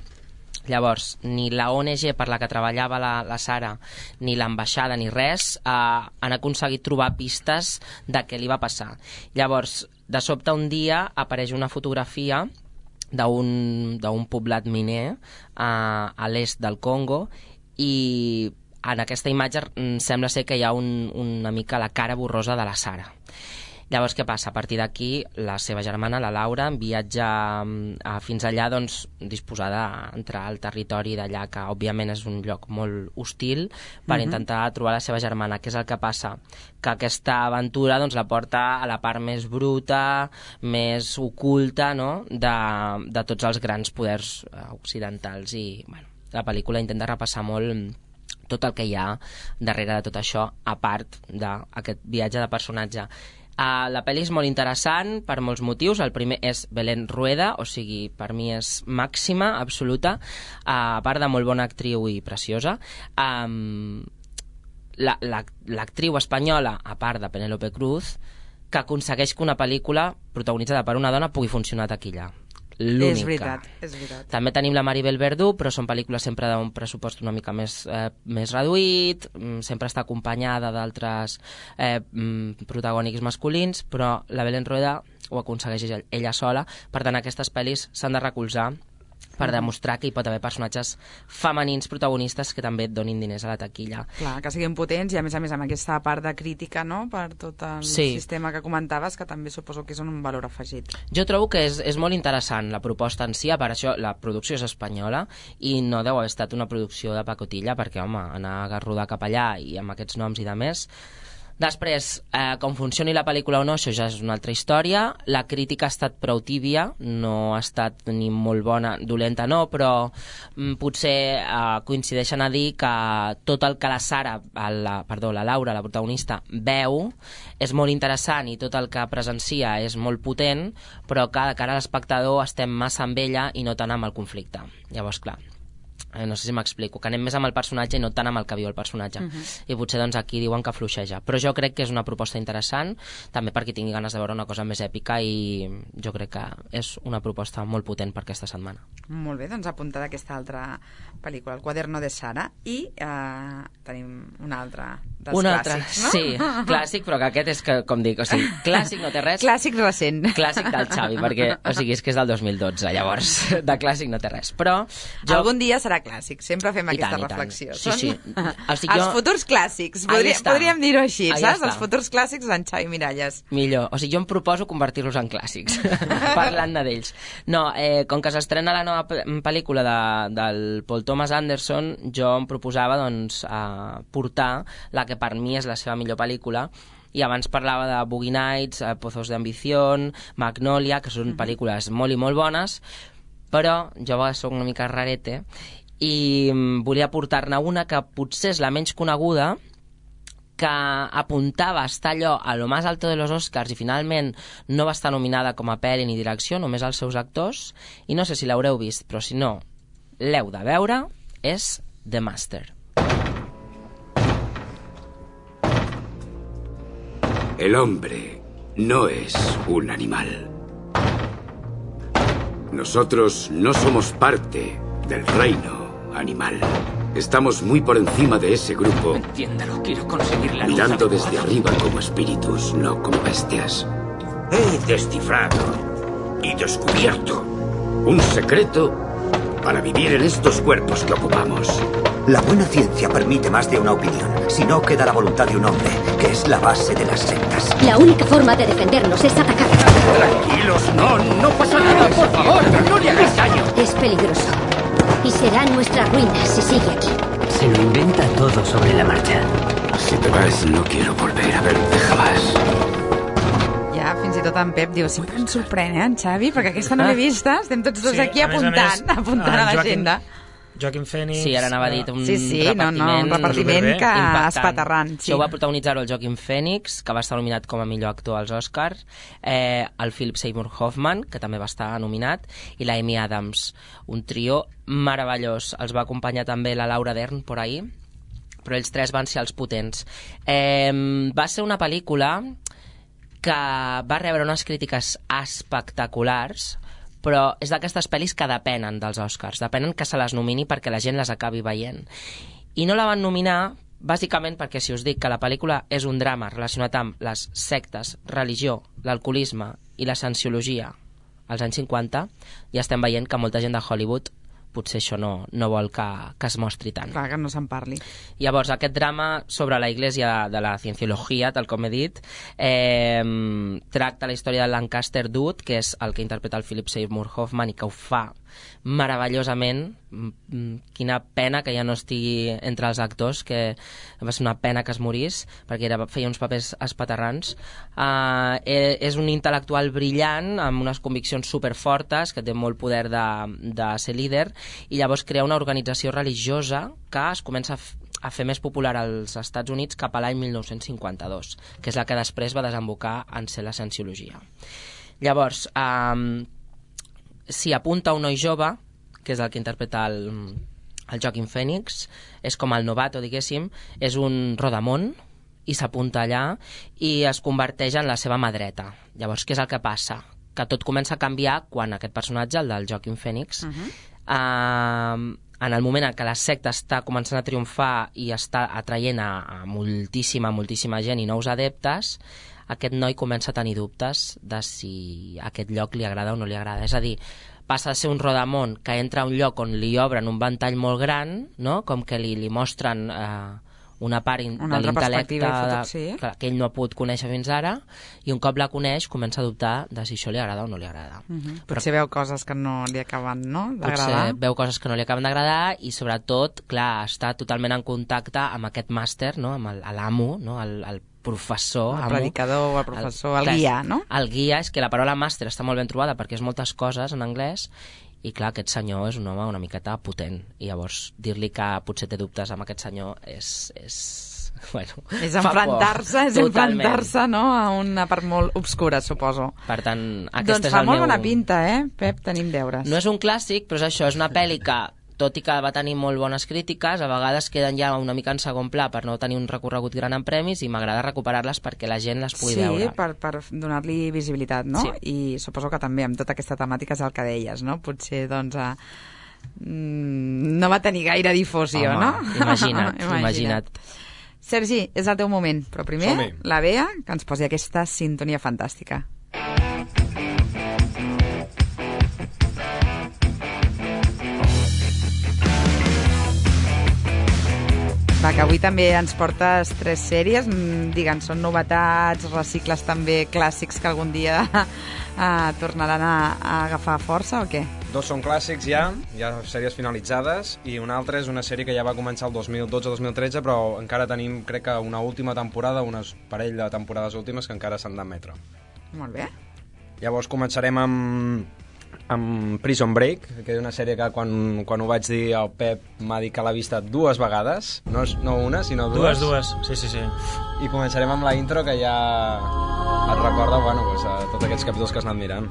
Llavors, ni la ONG per la que treballava la Sara, ni l'ambaixada, ni res, han aconseguit trobar pistes de què li va passar. Llavors, de sobte un dia apareix una fotografia d'un poblat miner a l'est del Congo i en aquesta imatge sembla ser que hi ha una mica la cara borrosa de la Sara. Llavors, què passa? A partir d'aquí, la seva germana, la Laura, viatja fins allà, doncs, disposada a entrar al territori d'allà, que òbviament és un lloc molt hostil, per intentar trobar la seva germana. Què és el que passa? Que aquesta aventura doncs, la porta a la part més bruta, més oculta, no?, de tots els grans poders occidentals. I, la pel·lícula intenta repassar molt tot el que hi ha darrere de tot això, a part d'aquest viatge de personatge. La pel·li és molt interessant per molts motius. El primer és Belén Rueda, o sigui, per mi és màxima, absoluta, a part de molt bona actriu i preciosa. L'actriu espanyola, a part de Penélope Cruz, que aconsegueix que una pel·lícula protagonitzada per una dona pugui funcionar a taquilla. L'única. És veritat, és veritat. També tenim la Maribel Verdú, però són pel·lícules sempre d'un pressupost una mica més reduït, sempre està acompanyada d'altres protagònics masculins, però la Belén Rueda ho aconsegueix ella sola. Per tant, aquestes pel·lis s'han de recolzar per demostrar que hi pot haver personatges femenins protagonistes que també et donin diners a la taquilla. Clar, que siguin potents i a més amb aquesta part de crítica, no?, per tot el sistema que comentaves, que també suposo que és un valor afegit. Jo trobo que és molt interessant la proposta en si, per això la producció és espanyola i no deu haver estat una producció de pacotilla, perquè, home, anar a rodar cap allà i amb aquests noms i de més, Després, com funcioni la pel·lícula o no, això ja és una altra història. La crítica ha estat prou tíbia, no ha estat ni molt bona, dolenta no, però potser coincideixen a dir que tot el que la Laura, la protagonista, veu és molt interessant i tot el que presencia és molt potent, però que de cara a l'espectador estem massa amb ella i no tant amb el conflicte. Llavors, clar, no sé si m'explico, que anem més amb el personatge i no tant amb el que viu el personatge. I potser doncs aquí diuen que fluixeja. Però jo crec que és una proposta interessant, també perquè tingui ganes de veure una cosa més èpica, i jo crec que és una proposta molt potent per aquesta setmana. Molt bé, doncs apuntada aquesta altra pel·lícula, El quaderno de Sara, i tenim una altra dels clàssics, no? Sí, clàssic, però que aquest és, com dic, o sigui, clàssic no té res. Clàssic recent. Clàssic del Xavi, perquè, o sigui, és que és del 2012, llavors, de clàssic no té res. Però algun dia serà clàssic, sempre fem aquesta reflexió. Sí. Els futurs clàssics, podríem dir-ho així, saps? Els futurs clàssics d'en Xavi Miralles. Millor, o sigui, jo em proposo convertir-los en clàssics, parlant d'ells. No, com que s'estrena la nova pel·lícula del Paul Thomas Anderson, jo em proposava, doncs, portar la que per mi és la seva millor pel·lícula, i abans parlava de Boogie Nights, Pozos de Ambición, Magnolia, que són pel·lícules molt i molt bones, però jo soc una mica rarete i volia portar-ne una que potser és la menys coneguda, que apuntava a estar allò a lo más alto de los Oscars i finalment no va estar nominada com a pel·li ni direcció, només els seus actors, i no sé si l'haureu vist, però si no l'heu de veure, és The Master. El hombre no es un animal. Nosotros no somos parte del reino animal. Estamos muy por encima de ese grupo. Entiéndalo, quiero conseguir la luz. Mirando desde arriba como espíritus, no como bestias. He descifrado y descubierto un secreto para vivir en estos cuerpos que ocupamos. La buena ciencia permite más de una opinión. Si no, queda la voluntad de un hombre, que es la base de las sectas. La única forma de defendernos es atacar. Tranquilos, no pasa nada, por favor, no le hagas daño. Es peligroso. Y será nuestra ruina si sigue aquí. Se lo inventa todo sobre la marcha. Si te vas, no quiero volver a verte jamás. Ja, fins i tot en Pep diu, sempre ens sorprèn, en Xavi, perquè aquesta no l'he vista, estem tots dos aquí apuntant a l'agenda. Joaquin Phoenix... Sí, ara anava a dir un un repartiment que espaterrant. Això va protagonitzar-ho el Joaquin Phoenix, que va estar nominat com a millor actor als Oscars, el Philip Seymour Hoffman, que també va estar nominat, i la Amy Adams. Un trio meravellós. Els va acompanyar també la Laura Dern por ahí, però ells tres van ser els potents. Va ser una pel·lícula que va rebre unes crítiques espectaculars, però és d'aquestes pel·lis que depenen dels Oscars, depenen que se les nomini perquè la gent les acabi veient. I no la van nominar bàsicament perquè, si us dic que la pel·lícula és un drama relacionat amb les sectes, religió, l'alcoholisme i la cienciologia als anys 50, ja estem veient que molta gent de Hollywood potser això no vol que es mostri tant. Clar, que no se'n parli. Llavors, aquest drama sobre la Iglesia de la Cienciologia, tal com he dit, tracta la història de Lancaster Dude, que és el que interpreta el Philip Seymour Hoffman i que ho fa meravellosament. Quina pena que ja no estigui entre els actors, que va ser una pena que es morís perquè feia uns papers espaterrants. És un intel·lectual brillant amb unes conviccions superfortes, que té molt poder de ser líder, i llavors crea una organització religiosa que es comença a fer més popular als Estats Units cap a l'any 1952, que és la que després va desembocar en ser la cienciologia. Llavors, s'hi apunta un noi jove, que és el que interpreta el Joaquin Phoenix, és com el novato, diguéssim, és un rodamón, i s'apunta allà i es converteix en la seva mà dreta. Llavors, què és el que passa? Que tot comença a canviar quan aquest personatge, el del Joaquin Phoenix, en el moment en què la secta està començant a triomfar i està atraient a moltíssima gent i nous adeptes, aquest noi comença a tenir dubtes de si aquest lloc li agrada o no li agrada. És a dir, passa a ser un rodamón que entra a un lloc on li obren un ventall molt gran, no? Com que li mostren una part de l'intel·lecte que ell no ha pogut conèixer fins ara, i un cop la coneix comença a dubtar de si això li agrada o no li agrada. Potser veu coses que no li acaben d'agradar. Potser veu coses que no li acaben d'agradar i sobretot, clar, està totalment en contacte amb aquest màster, no? Amb l'amo, no? El professor, el predicador, el professor, el guia, no? El guia, és que la paraula màster està molt ben trobada perquè és moltes coses en anglès. I clar, aquest senyor és un home una miqueta potent, i llavors dir-li que potser té dubtes amb aquest senyor és enfrontar-se, no? A una part molt obscura, suposo. Per tant, aquest doncs fa molt bona pinta, Pep? Tenim deures. No és un clàssic, però és això, és una pel·li que, tot i que va tenir molt bones crítiques, a vegades queden ja una mica en segon pla per no tenir un recorregut gran en premis, i m'agrada recuperar-les perquè la gent les pugui veure. Sí, per donar-li visibilitat, no? Sí. I suposo que també amb tota aquesta temàtica és el que deies, no? Potser, doncs, no va tenir gaire difusió, no? Imagina't. Sergi, és el teu moment, però primer la Bea, que ens posi aquesta sintonia fantàstica. Va, que avui també ens portes 3 sèries, digue'ns, són novetats, recicles també clàssics que algun dia tornaran a agafar força o què? 2 són clàssics ja sèries finalitzades, i una altra és una sèrie que ja va començar el 2012-2013, però encara tenim, crec que una última temporada, un parell de temporades últimes que encara s'han d'emetre. Molt bé. Llavors començarem amb Prison Break, que és una sèrie que quan ho vaig dir el Pep m'ha dit que l'ha vista 2 vegades, no una, sinó 2. Dues, sí. I començarem amb la intro, que ja et recorda tots aquests capítols que has anat mirant.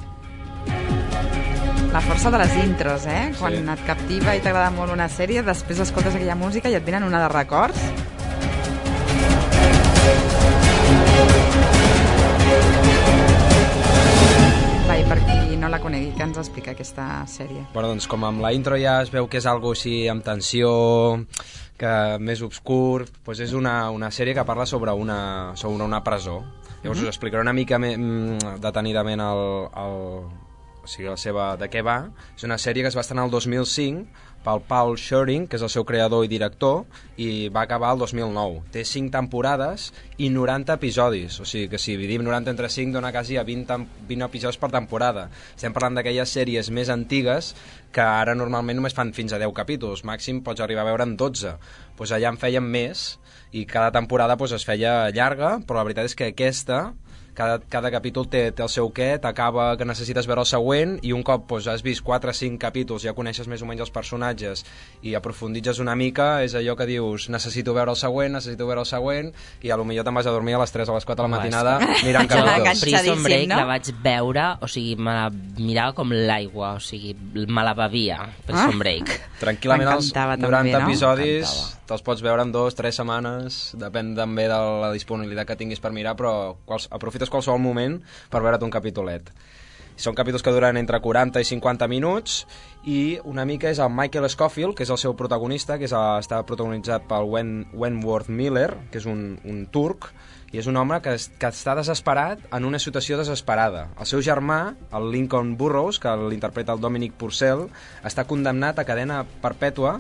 La força de les intros, Quan et captiva i t'agrada molt una sèrie, després escoltes aquella música i et venen una de records. I per qui no la conegui, què ens explica aquesta sèrie? Bueno, doncs com amb la intro ja es veu que és algo així amb tensió, que més obscur, doncs és una sèrie que parla sobre una presó. Llavors us explicaré una mica detenidament de què va. És una sèrie que es va estrenar el 2005 pel Paul Schering, que és el seu creador i director, i va acabar el 2009. Té 5 temporades i 90 episodis, o sigui que si dividim 90 entre 5 dona quasi a 20 episodis per temporada. Estem parlant d'aquelles sèries més antigues que ara normalment només fan fins a 10 capítols, màxim pots arribar a veure en 12. Doncs allà en feien més, i cada temporada es feia llarga, però la veritat és que aquesta... Cada capítol té el seu què, t'acaba que necessites veure el següent, i un cop has vist 4 o 5 capítols, ja coneixes més o menys els personatges i aprofunditzes una mica, és allò que dius necessito veure el següent, i a lo millor te'n vas a dormir a les 3 o les 4 de la matinada mirant capítols. Prison Break la vaig veure, o sigui, me la mirava com l'aigua, o sigui, me la bevia, Prison Break. Tranquil·lament els 90 episodis te'ls pots veure en 2-3 setmanes, depèn també de la disponibilitat que tinguis per mirar, però aprofites qualsevol moment per veure't un capítolet. Són capítols que duren entre 40 i 50 minuts, i una mica és el Michael Scofield, que és el seu protagonista, que està protagonitzat pel Wentworth Miller, que és un turc, i és un home que està desesperat en una situació desesperada. El seu germà, el Lincoln Burrows, que l'interpreta el Dominic Purcell, està condemnat a cadena perpètua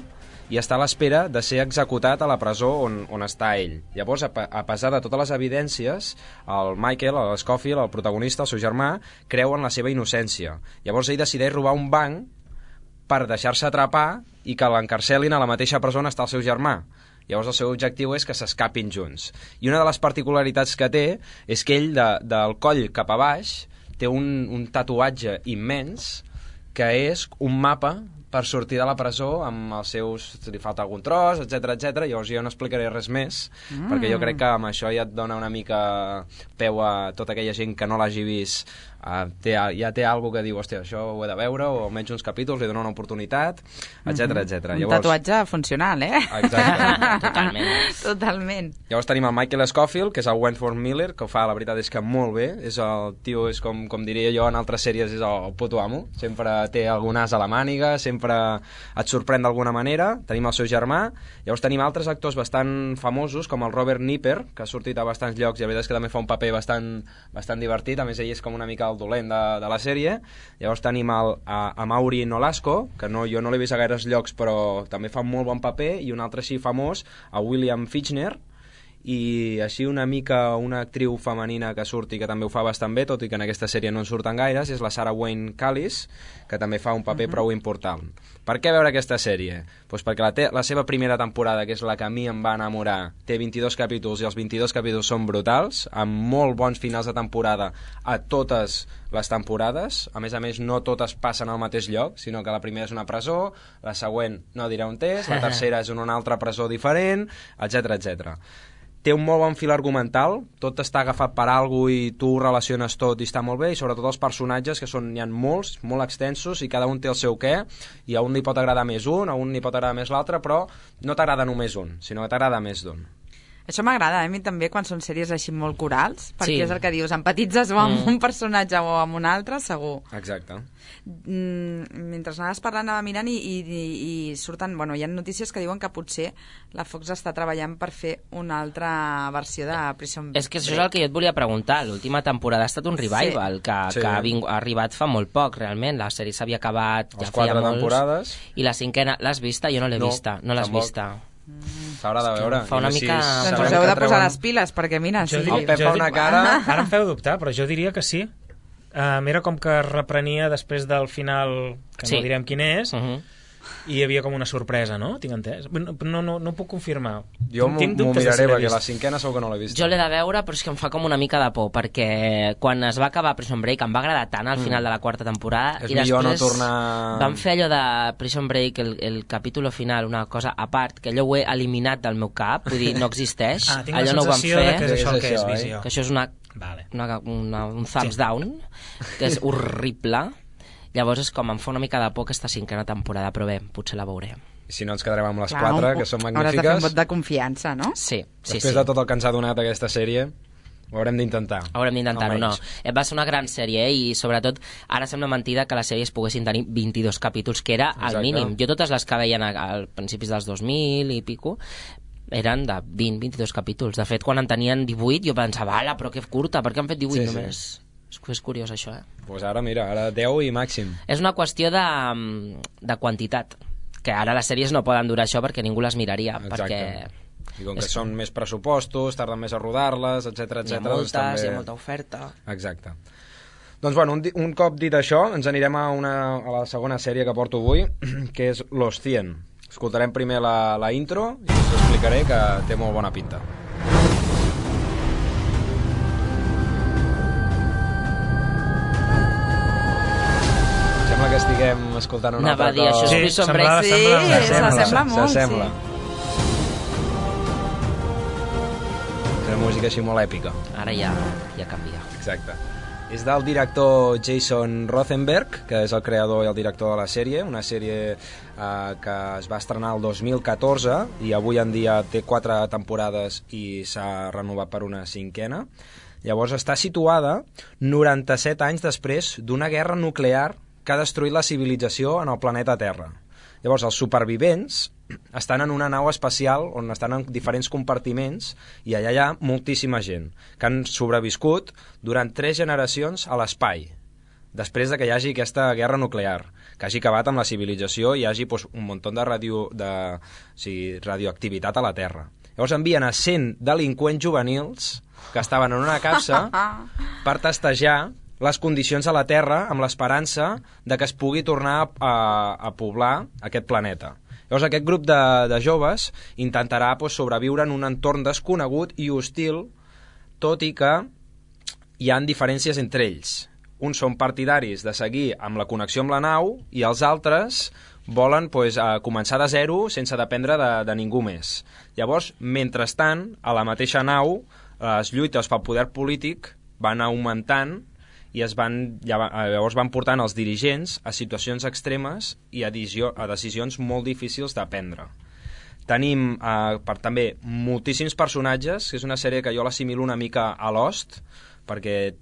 i està a l'espera de ser executat a la presó on està ell. Llavors, a pesar de totes les evidències, el Michael, el Scofield, el protagonista, el seu germà, creu en la seva innocència. Llavors ell decideix robar un banc per deixar-se atrapar i que l'encarcelin a la mateixa presó on està el seu germà. Llavors el seu objectiu és que s'escapin junts. I una de les particularitats que té és que ell, del coll cap a baix, té un tatuatge immens que és un mapa per sortir de la presó amb els seus... si li falta algun tros, etc. Llavors jo no explicaré res més, perquè jo crec que amb això ja et dona una mica peu a tota aquella gent que no l'hagi vist, ja té alguna que diu, hòstia, això ho he de veure, o almenys uns capítols, li dona una oportunitat, etc. Un tatuatge funcional, Exacte. Totalment. Llavors tenim el Michael Scofield, que és el Wentworth Miller, que ho fa, la veritat és que molt bé, és el tio, és com diria jo en altres sèries, és el puto amo, sempre té algun as a la màniga, sempre sempre et sorprèn d'alguna manera. Tenim el seu germà, llavors tenim altres actors bastant famosos, com el Robert Nipper, que ha sortit a bastants llocs i la veritat és que també fa un paper bastant divertit, a més ell és com una mica el dolent de la sèrie. Llavors tenim a Mauri Nolasco, que jo no l'he vist a gaires llocs però també fa un molt bon paper, i un altre així famós, a William Fichtner, i així una mica una actriu femenina que surti que també ho fa bastant bé, tot i que en aquesta sèrie no en surten gaires, és la Sarah Wayne Callis, que també fa un paper prou important. Per què veure aquesta sèrie? Pues perquè la seva primera temporada, que és la que a mi em va enamorar, té 22 capítols i els 22 capítols són brutals, amb molt bons finals de temporada a totes les temporades. A més, no totes passen al mateix lloc, sinó que la primera és una presó, la següent no diré on és, la tercera és en una altra presó diferent, etc etc. Té un molt bon fil argumental, tot està agafat per alguna cosa i tu relaciones tot i està molt bé, i sobretot els personatges, que n'hi ha molts, molt extensos, i cada un té el seu què, i a un li pot agradar més un, a un li pot agradar més l'altre, però no t'agrada només un, sinó que t'agrada més d'un. Això m'agrada, a mi també, quan són sèries així molt corals, perquè és el que dius, empatitzes o amb un personatge o amb un altre, segur. Exacte. Mentre anaves parlant, anava mirant i surten, hi ha notícies que diuen que potser la Fox està treballant per fer una altra versió de Prison Break. És que això és el que jo et volia preguntar. L'última temporada ha estat un revival, que ha arribat fa molt poc, realment. La sèrie s'havia acabat ja feia 4 temporades. I la 5a, l'has vista? Jo no l'he vista. No l'has vista. S'haurà de veure. Fa una mica... Doncs us heu de posar les piles, perquè mira... El Pep fa una cara... Ara em feu dubtar, però jo diria que sí. Era com que reprenia després del final, que no direm quin és, i hi havia com una sorpresa, no? Tinc entès? No puc confirmar. Jo m'ho miraré, perquè la 5a segur que no l'he vist. Jo l'he de veure, però és que em fa com una mica de por, perquè quan es va acabar Prison Break em va agradar tant al final de la 4ª temporada, és i després no tornar... van fer allò de Prison Break, el capítol final, una cosa a part, que allò ho he eliminat del meu cap, vull dir, no existeix. Tinc la sensació que és això el que és visió. Que això és un thumbs down, que és horrible. Llavors és com em fa una mica de por aquesta 5a temporada, però bé, potser la veuré. I si no ens quedarem amb les 4, que són magnífiques. Hauràs de fer un vot de confiança, no? Sí. Després de tot el que ens ha donat aquesta sèrie, ho haurem d'intentar. Haurem d'intentar-ho, no. Va ser una gran sèrie, i sobretot ara sembla mentida que les sèries poguessin tenir 22 capítols, que era el mínim. Jo totes les que veien al principis dels 2000 i pico eren de 20-22 capítols. De fet, quan en tenien 18 jo pensava, ala, però que curta, per què han fet 18 només? És curiós, això, Doncs ara, mira, ara 10 i màxim. És una qüestió de quantitat, que ara les sèries no poden durar això perquè ningú les miraria. Exacte. I com que són més pressupostos, tarden més a rodar-les, etc. Hi ha molta oferta. Exacte. Doncs, bueno, un cop dit això, ens anirem a la segona sèrie que porto avui, que és Los 100. Escoltarem primer la intro i us explicaré, que té molt bona pinta. Sembla que estiguem escoltant una altra cosa. Això és Prison Break. S'assembla molt. S'assembla. És una música així molt èpica. Ara ja canvia. Exacte. És del director Jason Rothenberg, que és el creador i el director de la sèrie, una sèrie que es va estrenar el 2014 i avui en dia té 4 temporades i s'ha renovat per una 5a. Llavors està situada 97 anys després d'una guerra nuclear que ha destruït la civilització en el planeta Terra. Llavors, els supervivents estan en una nau espacial on estan en diferents compartiments i allà hi ha moltíssima gent que han sobreviscut durant 3 generacions a l'espai, després de que hi hagi aquesta guerra nuclear, que hagi acabat amb la civilització i hi hagi un munt de radioactivitat a la Terra. Llavors envien a 100 delinqüents juvenils que estaven en una capsa per testejar les condicions a la Terra amb l'esperança de que es pugui tornar a poblar aquest planeta. Llavors aquest grup de joves intentarà sobreviure en un entorn desconegut i hostil, tot i que hi ha diferències entre ells. Uns són partidaris de seguir amb la connexió amb la nau i els altres volen començar de zero sense dependre de ningú més. Llavors, mentrestant, a la mateixa nau, les lluites pel poder polític van augmentant i llavors van portant els dirigents a situacions extremes i a decisions molt difícils de prendre. Tenim també moltíssims personatges, que és una sèrie que jo l'assimilo una mica a Lost, perquè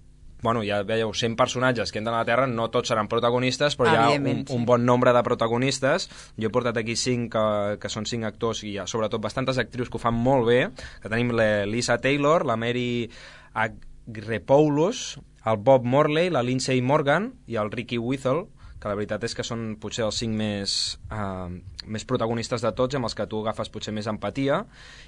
bueno, ja veieu, 100 personatges que entren a la Terra, no tots seran protagonistes, però hi ha un bon nombre de protagonistes. Jo he portat aquí 5 que són 5 actors i hi ha sobretot bastantes actrius que ho fan molt bé, que tenim l'Elisa Taylor, la Mary Agrepoulos, el Bob Morley, la Lindsay Morgan i el Ricky Whittle, que la veritat és que són potser els 5 més protagonistes de tots, amb els que tu agafes potser més empatia,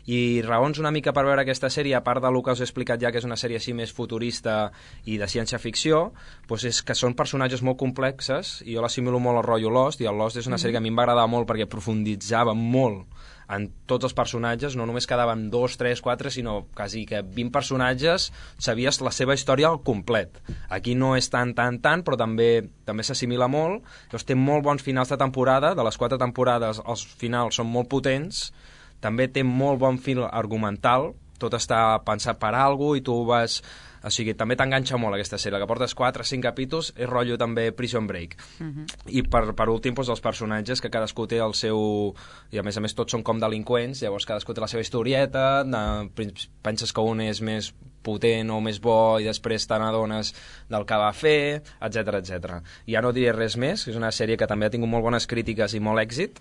i raons una mica per veure aquesta sèrie, a part del que us he explicat ja, que és una sèrie així més futurista i de ciència-ficció, doncs és que són personatges molt complexes, i jo l'assimilo molt al rotllo Lost, i el Lost és una sèrie que a mi em va agradar molt perquè profunditzava molt en tots els personatges, no només quedaven 2, 3, 4, sinó quasi que 20 personatges, sabies la seva història al complet. Aquí no és tant, però també s'assimila molt. Llavors té molt bons finals de temporada, de les 4 temporades els finals són molt potents, també té molt bon fil argumental, tot està pensat per alguna cosa i tu vas... O sigui, també t'enganxa molt aquesta sèrie, que portes 4 o 5 capítols, és rotllo també Prison Break. I per últim, doncs, els personatges, que cadascú té el seu... I a més tots són com delinqüents, llavors cadascú té la seva historieta, penses que un és més potent o més bo i després te n'adones del que va fer, etc. Ja no diré res més, és una sèrie que també ha tingut molt bones crítiques i molt èxit,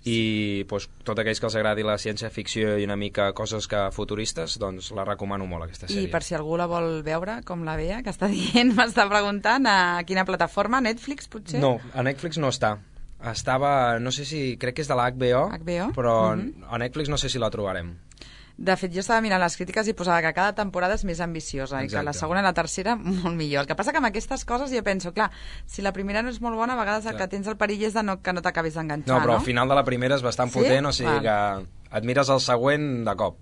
i doncs, tot aquells que els agradi la ciència-ficció i una mica coses futuristes, doncs la recomano molt, aquesta sèrie. I per si algú la vol veure, com la veia, que està dient, m'està preguntant a quina plataforma, Netflix potser? No, a Netflix no està. Estava, no sé si, crec que és de la HBO, però a Netflix no sé si la trobarem. De fet, jo estava mirant les crítiques i posava que cada temporada és més ambiciosa i que la segona i la tercera molt millor. El que passa que amb aquestes coses jo penso, clar, si la primera no és molt bona, a vegades el que tens el perill és que no t'acabis d'enganxar, no? No, però al final de la primera és bastant potent, o sigui que et mires el següent de cop.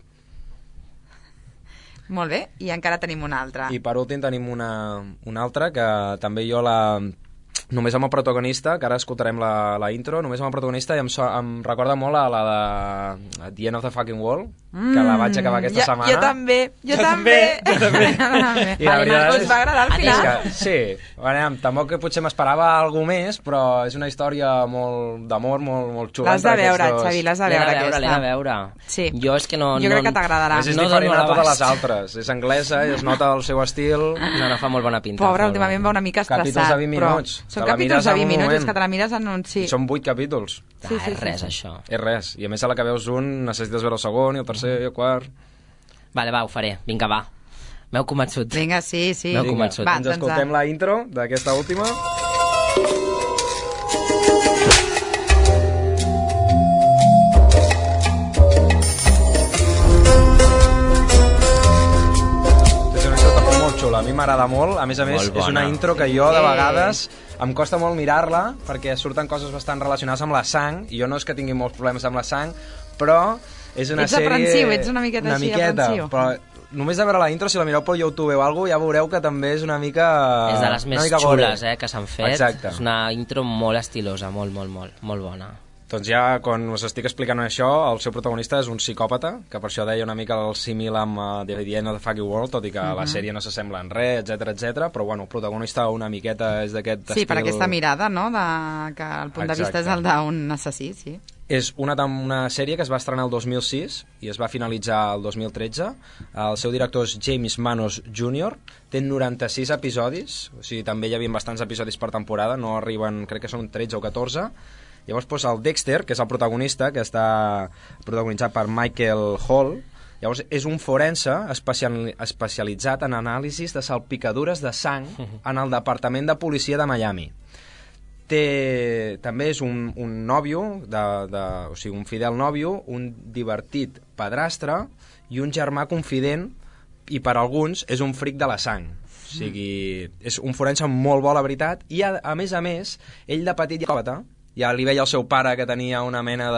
Molt bé, i encara tenim una altra. I per últim tenim una altra que també jo només amb el protagonista, que ara escoltarem la intro, només amb el protagonista, i em recorda molt a la de The End of the Fucking World, que la vaig acabar aquesta setmana. Jo també. I la veritat us va agradar al final. Sí, tampoc potser m'esperava alguna més, però és una història d'amor molt xula. L'has de veure, Xavi, l'has de veure aquesta. L'he de veure. Sí. Jo és que no... Jo crec que t'agradarà. És diferent a totes les altres. És anglesa i es nota el seu estil. No, fa molt bona pinta. Pobre, últimament va una mica estressat. Capítols de 20 minuts. Són capítols de 20 minuts, és que te la mires en un... Sí. Són 8 capítols. És res, això. És res. I a més, a la que veus un, necessites veure el segon, i el tercer, i el quart... Vale, va, ho faré. Vinga, va. M'heu convençut. Vinga, sí. M'heu convençut. Va, ens escoltem la intro d'aquesta última. A mi m'agrada molt, a més, és una intro que jo de vegades em costa molt mirar-la perquè surten coses bastant relacionades amb la sang, i jo no és que tingui molts problemes amb la sang, però és una sèrie... aprensiu, ets una miqueta així aprensiu. Però només de veure la intro, si la mireu per YouTube o alguna cosa, ja veureu que també és una mica... És de les més xules que s'han fet. Exacte. És una intro molt estilosa, molt bona. Doncs ja, quan us estic explicant això, el seu protagonista és un psicòpata, que per això deia una mica el símil amb The End of the Fucking World, tot i que la sèrie no s'assembla en res, etc. Però bueno, el protagonista una miqueta és d'aquest estil... Sí, per aquesta mirada, no?, que el punt de vista és el d'un assassí, sí. És una sèrie que es va estrenar el 2006 i es va finalitzar el 2013. El seu director és James Manos Jr. Té 96 episodis, o sigui, també hi havia bastants episodis per temporada, no arriben, crec que són 13 o 14. Llavors, doncs, el Dexter, que és el protagonista, que està protagonitzat per Michael Hall, llavors és un forense especialitzat en anàlisis de salpicadures de sang en el Departament de Policia de Miami. També és un nòvio, o sigui, un fidel nòvio, un divertit padrastre i un germà confident, i per alguns és un fric de la sang. O sigui, és un forense molt bo, la veritat, i a més, ell de petit ja li veia el seu pare que tenia una mena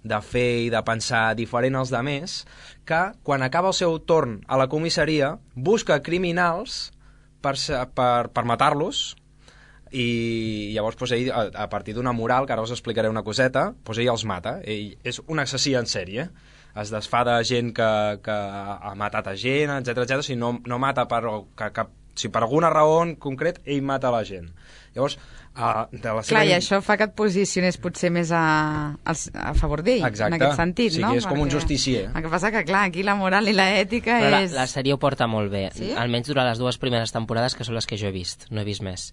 de fer i de pensar diferent als demés, que quan acaba el seu torn a la comissaria busca criminals per matar-los, i llavors doncs, ell, a partir d'una moral, que ara us explicaré una coseta, doncs ell els mata. Ell és un assassí en sèrie, es desfà de gent que ha matat a gent, etc. O sigui, no mata per si per alguna raó en concret ell mata la gent. Llavors, de la seva... Clar, i això fa que et posicionés potser més a favor d'ell, en aquest sentit, no? Sí, és com un justicier. El que passa que, clar, aquí la moral i l'ètica és... La sèrie ho porta molt bé, sí? Almenys durant les 2 primeres temporades, que són les que jo he vist, no he vist més.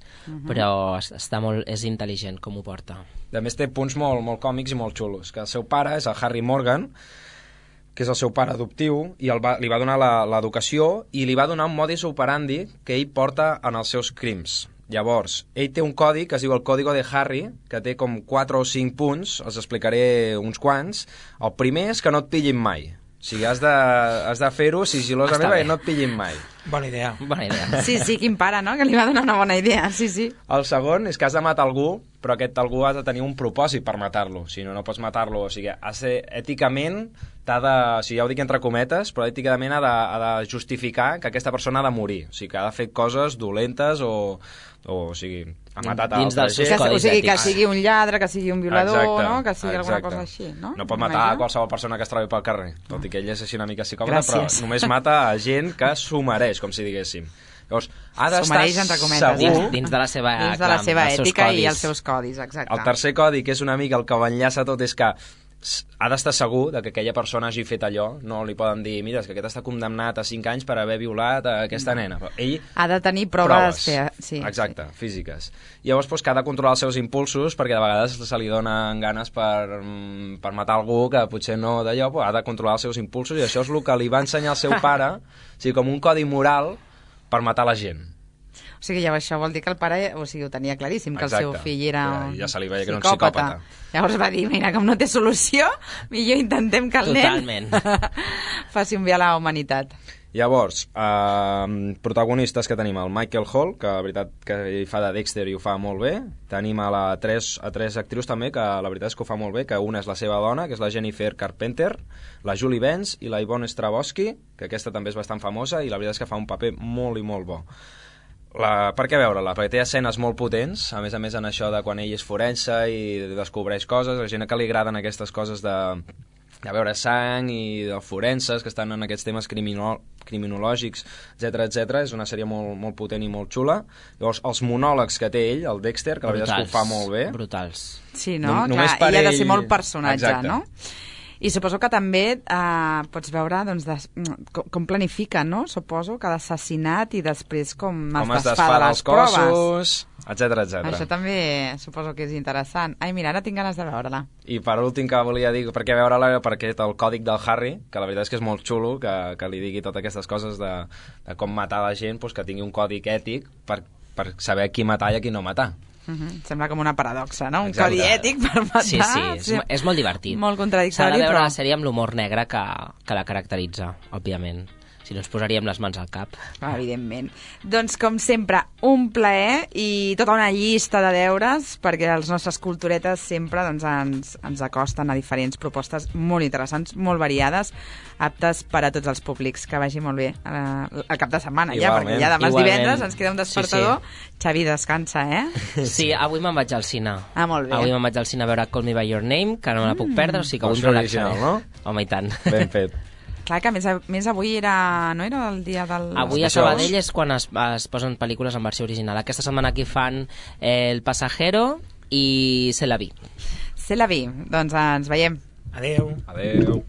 Però és intel·ligent com ho porta. A més, té punts molt còmics i molt xulos, que el seu pare és el Harry Morgan, que és el seu pare adoptiu, i li va donar l'educació i li va donar un modus operandi que ell porta en els seus crims. Llavors, ell té un codi que es diu el Código de Harry, que té com 4 o 5 punts, els explicaré uns quants. El primer és que no et pillin mai. O sigui, has de fer-ho sigil·losament perquè no et pillin mai. Bona idea. Sí, quin pare, no? Que li va donar una bona idea, sí. El segon és que has de matar algú, però aquest algú has de tenir un propòsit per matar-lo. Si no pots matar-lo. O sigui, èticament o sigui, ja ho dic entre cometes, però èticament ha de justificar que aquesta persona ha de morir. O sigui, que ha de fer coses dolentes o sigui, ha matat a altra gent. O sigui, que sigui un lladre, que sigui un violador, no? Que sigui alguna cosa així, no? No pot matar a qualsevol persona que es trobi pel carrer, tot i que ell és així una mica psicòpata, però només mata a gent que s'ho mereix, com si diguéssim. Llavors, ha d'estar segur... Dins de la seva ètica i els seus codis, exacte. El tercer codi, que és una mica el que ho enllaça tot, és que ha d'estar segur que aquella persona hagi fet allò. No li poden dir, mira, és que aquest està condemnat a 5 anys per haver violat a aquesta nena. Però ell... Ha de tenir proves. Exacte, físiques. Llavors, que ha de controlar els seus impulsos, perquè de vegades se li donen ganes per matar algú que potser no d'allò, però ha de controlar els seus impulsos, i això és el que li va ensenyar el seu pare, o sigui, com un codi moral per matar la gent. O sigui, ja això vol dir que el pare ho tenia claríssim, que el seu fill era ja se li veia que era un psicòpata. Llavors va dir, mira, com no té solució, millor intentem que el nen faci un bé a la humanitat. Llavors, protagonistes que tenim el Michael Hall, que la veritat que hi fa de Dexter i ho fa molt bé. Tenim a tres actrius també, que la veritat és que ho fa molt bé, que una és la seva dona, que és la Jennifer Carpenter, la Julie Benz i la Yvonne Strahovski, que aquesta també és bastant famosa i la veritat és que fa un paper molt i molt bo. Per què veure-la? Perquè té escenes molt potents, a més en això de quan ell és forense i descobreix coses, la gent que li agraden aquestes coses de veure sang i de forenses que estan en aquests temes criminològics, etc. És una sèrie molt potent i molt xula. Llavors, els monòlegs que té ell, el Dexter, que la veritat és que ho fa molt bé. Brutals. Sí, no? Clar, ell ha de ser molt personatge, no? I suposo que també pots veure com planifica, no? Suposo que l'assassinat i després com es desfà de les proves, etc. Això també suposo que és interessant. Ai, mira, ara tinc ganes de veure-la. I per últim que volia dir per què veure-la, perquè el còdic del Harry, que la veritat és que és molt xulo, que li digui totes aquestes coses de com matar la gent, que tingui un còdic ètic per saber qui matar i a qui no matar. Sembla com una paradoxa, no? Un codi ètic per matar. Sí, és molt divertit. Molt contradictori, s'ha de veure la sèrie amb l'humor negre que la caracteritza, òbviament. Si no ens posaríem les mans al cap. Evidentment. Doncs, com sempre, un plaer i tota una llista de deures, perquè les nostres culturetes sempre ens acosten a diferents propostes molt interessants, molt variades, aptes per a tots els públics. Que vagi molt bé el cap de setmana, ja, perquè ja demà divendres ens queda un despertador. Sí. Xavi, descansa, Sí, avui me'n vaig al cine. Molt bé. Avui me'n vaig al cine a veure Call Me By Your Name, que no me la puc perdre, o sigui que avui em relaxaré. No? Home, i tant. Ben fet. Clar, que més avui no era el dia del... Avui a Sabadell és quan es posen pel·lícules en versió original. Aquesta setmana aquí fan El Pasajero i C'est la vie. C'est la vie. Doncs ens veiem. Adeu. Adeu.